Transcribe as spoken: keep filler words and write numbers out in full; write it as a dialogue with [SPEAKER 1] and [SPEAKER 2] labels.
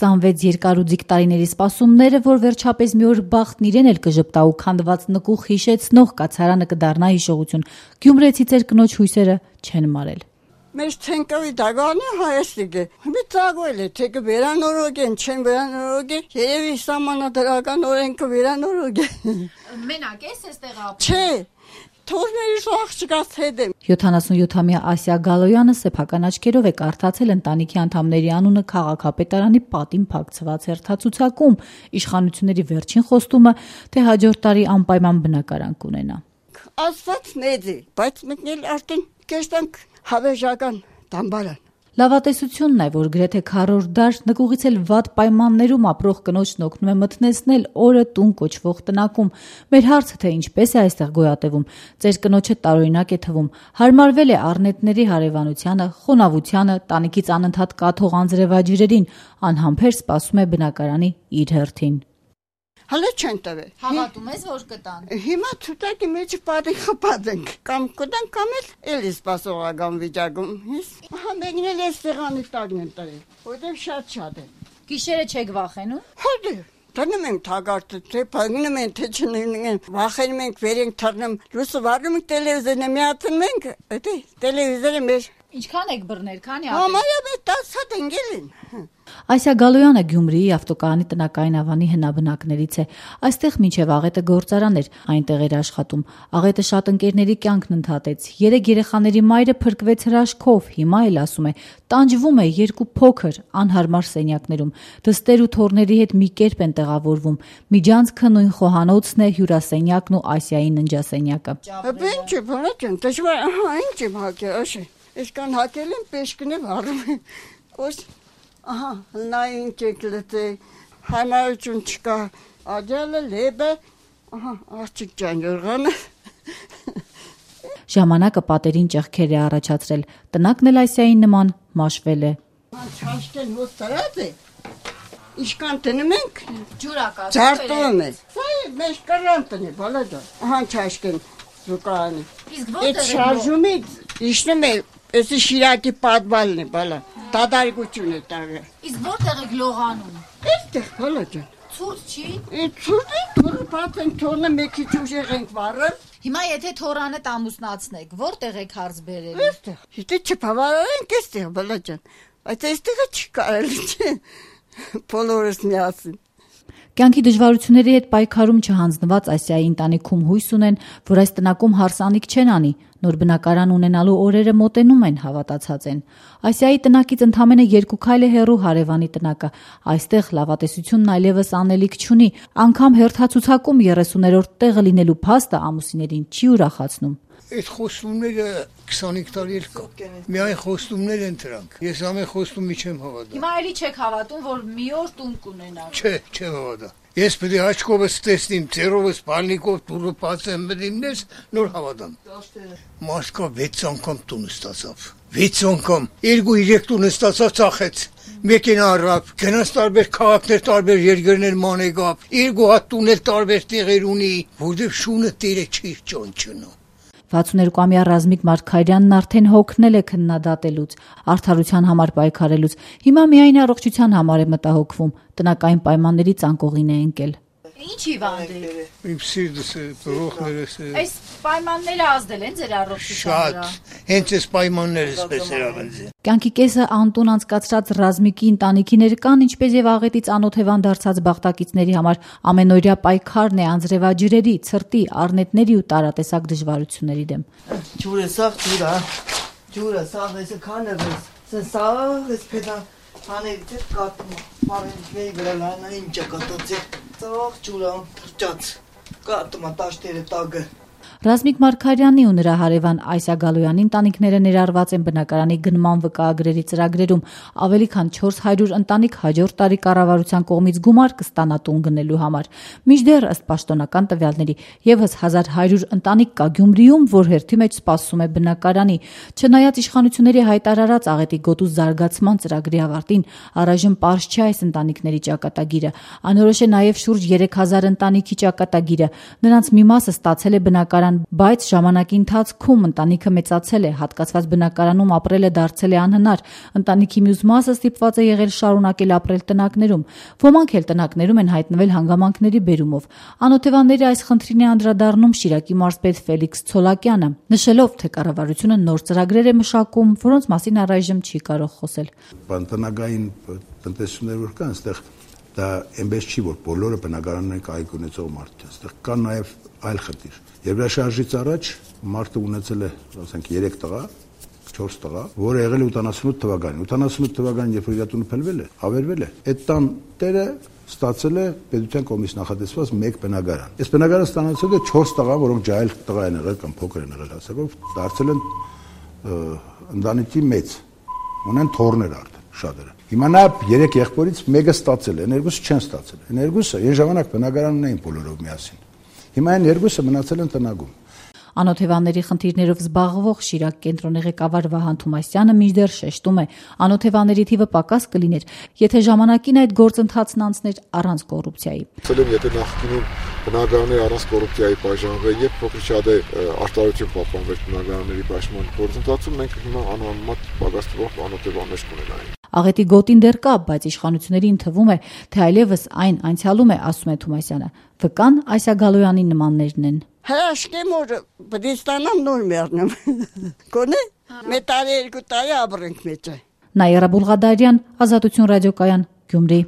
[SPEAKER 1] քսանվեց երկարուձիգ տարիների սպասումները, որ վերջապես մի օր բախտն իրեն էլ կժպտա ու քանդված նկուղ հիշեցնող կացարանը կդառնա հիշողություն, գյումրեցի ծեր կնոջ հույսերը չեն մարել։
[SPEAKER 2] Մեր ցենկավի դագանը հայաստիկը։ Մի ծագվել է, թե կվերանորոգեն, չեն վերանորոգեն, երևի սահմանադրական օրենքը վերանորոգ է։
[SPEAKER 1] Մենակ ես էստեղ ապրում։
[SPEAKER 2] Չէ, թորներից աղջկաց հետ եմ։
[SPEAKER 1] յոթանասունյոթամյա Ասիա Գալոյանը սեփական աչքերով է կարդացել ընտանիքի անդամների անունը քաղաքապետարանի պատին փակցված հերթացուցակում, իշխանությունների վերջին խոստումը, թե հաջորդ տարի անպայման բնակարան կունենա։
[SPEAKER 2] Աստված մեծ է, բայց մենք էլ արդեն կերտանք հավերժական դամբարան։
[SPEAKER 1] Լավատեսությունն է, որ գրեթե քառորդ դար նկուղից էլ վատ պայմաններում ապրող կնոջն օգնում է մթնեցնել օրը տուն կոչվող տնակում։ Մեր հարցը թե ինչպես է այստեղ գոյատևում, ծեր կնոջը տարօրինակ է թվում, հարմարվել է առնետների հարևանությանը, խոնավությանը, տանիքից անընդհատ կաթող անձրևաջրերին, անհամբեր սպասում է բնակարանի իր հերթին։
[SPEAKER 2] Հələ չեն տվել։
[SPEAKER 1] Հավատում ես, որ կտան։
[SPEAKER 2] Հիմա ցուտակի մեջ պատի խփածենք։ Կամ կտան, կամ էլ էլի սպասողական վիճակում։ Ահա մեկն էլ էս սեղանի տակն են տվել, որտեղ շատ-շատ է։
[SPEAKER 1] Գիշերը չեք վախենում։
[SPEAKER 2] Հələ դնում ենք թագարտը, թե փակնում են, թե չնին, վախենում ենք, վերենք թռնում, լույսը վառնում ենք, տելևիզորը միացնում ենք, էդի տելևիզորը մեր։
[SPEAKER 1] Ինչքան եք բռնել, քանի
[SPEAKER 2] հատ։ Համարյա մեր տասը հատ են գելին։
[SPEAKER 1] Ասիա Գալոյանը Գյումրիի ավտոկայանի տնակային ավանի հնաբնակներից է։ Այստեղ մինչև աղետը գործարան էր, այնտեղ էր աշխատում։ Աղետը շատ ընկերների կյանքն ընդհատեց։ Երեք երեխաների մայրը փրկվեց հրաշքով, հիմա էլ ասում է, տանջվում է երկու փոքր, անհարմար սենյակներում։ Դստեր ու թոռների հետ մի կերպ են տեղավորվում։ Միջանցքը նույն խոհանոցն է, հյուրասենյակն ու Ասիայի ննջասենյակը։
[SPEAKER 2] Ինչ է, բանա, դժվար, ահա, ինչ եմ հակել, աշե։ Այսքան հակել եմ, պեշկն է վառում։ Ոս ահա, նային կեկլետե, համարություն չկա, աջալը, լեբը, ահա, աղջիկ ջան յորղանը։
[SPEAKER 1] Ժամանակը պատերին ճեղքեր է առաջացրել, տնակն էլ Ասիային նման մաշվել է։
[SPEAKER 2] Չաշկեն հոտ տարած է, իշկան տնում ենք,
[SPEAKER 1] ջուրակա,
[SPEAKER 2] ձարտում է, սա է մեզ կրան տնի, բալա դա, ահա չաշկեն զուկարանի։ Այդ շարժումից իշնում է, էսի շիրակի պատվալն է, բալա, դադարգություն է տարը։
[SPEAKER 1] Իսկ որտեղ եք լողանում։
[SPEAKER 2] Այստեղ, բալա ջան։
[SPEAKER 1] Ցուրտ չի։
[SPEAKER 2] Ցուրտ է, թորը բաց են, թորը մեկի ուժեղ ենք վառել։
[SPEAKER 1] Հիմա եթե թորանը ամուսնացնեք, որտեղ եք հարց բերել։
[SPEAKER 2] Այստեղ, եթե չփավարարենք այստեղ, բալա ջան, բայց այստեղը չի կարելի, չէ։ Բոլորս միասին։
[SPEAKER 1] Կյանքի դժվարությունների հետ պայքարում չհանձնված Ասիայի ընտանիքում հույս ունեն, որ այս տնակում հարսանիք չեն անի, նոր բնակարան ունենալու օրերը մոտենում են, հավատացած են։ Ասիայի տնակից ընդամենը երկու քայլ է հեռու հարևանի տնակը, այստեղ լավատեսությունն այլևս անելիք չունի, անգամ հերթացուցակում երեսուներորդ տեղը լինելու փաստը ամուսիներին չի ուրախացնում։
[SPEAKER 3] Այդ խոստումները քսանհինգ տարի էլ կա։ Միայն խոստումներ են դրանք։ Ես ամեն խոստումի չեմ հավատա։
[SPEAKER 1] Հիմա էլի չեք հավատում, որ մի օր տուն կունենաք։
[SPEAKER 3] Չէ, չեմ հավատա։ Ես պետք է աչքովս տեսնեմ, ծերովս, բալնիկով դուրը բացեմ մտիմնես, նոր հավատամ։ Մաշկա վեց անգամ տուն ստացավ։ վեց անգամ, երկու երեք տուն ստացավ, ծախեց։ Մեկին առավ, գնաց տարբեր քաղաքներ, տարբեր երկրներ մանեգավ, երկու հատ տունել տարբեր տեղեր ունի, որտեղ շունը տերը չի ճանչնում։
[SPEAKER 1] վաթսունհինգամյա Ռազմիկ Մարգարյանն արդեն հոգնել է քննադատելուց, արդարության համար պայքարելուց։ Հիմա միայն առողջության համար է մտահոգվում, տնակային պայմանների ծանկողին է ընկել։ Ինչի վանդել։
[SPEAKER 3] Իմ սիրտս է, բողոքներս է։
[SPEAKER 1] Այս պայմանները ազդել են ձեր առողջությանը։
[SPEAKER 3] Շատ, հենց այս պայմանները սպես էր ավելձե։
[SPEAKER 1] Կյանքի կեսը անտուն անցկացրած Ռազմիկի ընտանիքի ներկան, ինչպես եւ աղետից անօթևան դարձած բաղտակիցների համար ամենօրյա պայքարն է անձրևաջրերի, ցրտի, առնետների ու տարատեսակ դժվարությունների դեմ։
[SPEAKER 4] Ջուրը սաղ ջուրա, ջուրը սաղ էսը քանևես, սաղ էս պետա հանել դե կատում, մարենքների վրա լանա ինչա կատոցի, սաղ ջուրա թրջած, կատում տաշտերը տագը։
[SPEAKER 1] Ռազմիկ Մարգարյանի ու նրա հարևան Ասիա Գալոյանի ընտանիքները ներառված են բնակարանի գնման վկայագրերի ծրագրերում, ավելի քան չորս հարյուր ընտանիք հաջորդ տարի կառավարության կողմից գումար կստանա տուն գնելու համար։ Մինչդեռ ըստ պաշտոնական տվյալների եւս հազար հարյուր ընտանիք կա Գյումրիում, որ հերթի մեջ սպասում է բնակարանի։ Չնայած իշխանությունների հայտարարած աղետի գոտու զարգացման ծրագրի ավարտին, առայժմ պարզ չէ այս ընտանիքների ճակատագիրը։ Անորոշ է նաեւ շուրջ երեք հազար ընտանիքի ճակատագիրը։ Նրանց մի մասը ստացել է բնակարան բնակարան, բայց ժամանակի ընթացքում ընտանիքը մեծացել է, հատկացված բնակարանում ապրելը դարձել է անհնար, ընտանիքի մյուս մասը ստիպված է եղել շարունակել ապրել տնակներում, ոմանք էլ տնակներում են հայտնվել հանգամանքների բերումով։ Անօթևանների այս խնդրին է անդրադառնում Շիրակի մարզպետ Ֆելիքս Ցոլակյանը, նշելով, թե կառավարությունը նոր ծրագրեր է մշակում, որոնց մասին առայժմ չի կարող խոսել։
[SPEAKER 5] Բանտանակային տնտեսություններ որ կան, այստեղ դա այնպես չի, որ բոլորը բնակարաններ կայք ունեցող մարդ է, այստեղ կա նաև այլ խնդիր։ Եվրաշարժից առաջ մարդը ունեցել է, ասենք, երեք տղա, չորս տղա, որը եղել է ութանասունութ թվականին։ ութանասունութ թվականին, երբ որ իր տունը փլվել է, ավերվել է, այդ տան տերը ստացել է պետության կողմից նախատեսված մեկ բնակարան։ Այս բնակարանը ստանացել է չորս տղա, որոնք ջահել տղա են եղել կամ փոքր են եղել հասակով, դարձել են ընտանիքի մեծ, ունեն թոռներ արդեն շատերը։ Հիմա նա երեք եղբորից մեկը ստացել է, երկուսը չեն ստացել։ Այն երկուսը այն ժամանակ բնակարանն էին բոլորով միասին։ Հիմա այն երկուսը մնացել են տնագում։
[SPEAKER 1] Անօթևանների խնդիրներով զբաղվող Շիրակ կենտրոնի ղեկավար Վահան Թումասյանը մինչդեռ շեշտում է, անօթևանների թիվը պակաս կլիներ, եթե ժամանակին այդ գործընթացն անցներ առանց կոռուպցիայի։
[SPEAKER 6] Ասել եթե նախկինում բնակարանները առանց կոռուպցիայի բաժանվել եւ փոքր շատ է արտարություն պահպանվել բնակարանների պաշտպան գործընթացում, մենք հիմա անհամեմատ պակաս թվով անօթևաններ կունենայինք։
[SPEAKER 1] Աղետի գոտին դեռ կա, բայց իշխանություններին թվում է, թե այլևս այն անցյալում է, ասում է Թումասյանը։ Վկան Այսա Գալոյանի նմաններն են։
[SPEAKER 2] Հրաշքեմ որ բդիստանամ նոր մեռնեմ։ Կոնե մի տարի երկու տարի ապրենք մեջը։
[SPEAKER 1] Նաիրա Բուլղադարյան, Ազատություն ռադիոկայան, Գյումրի։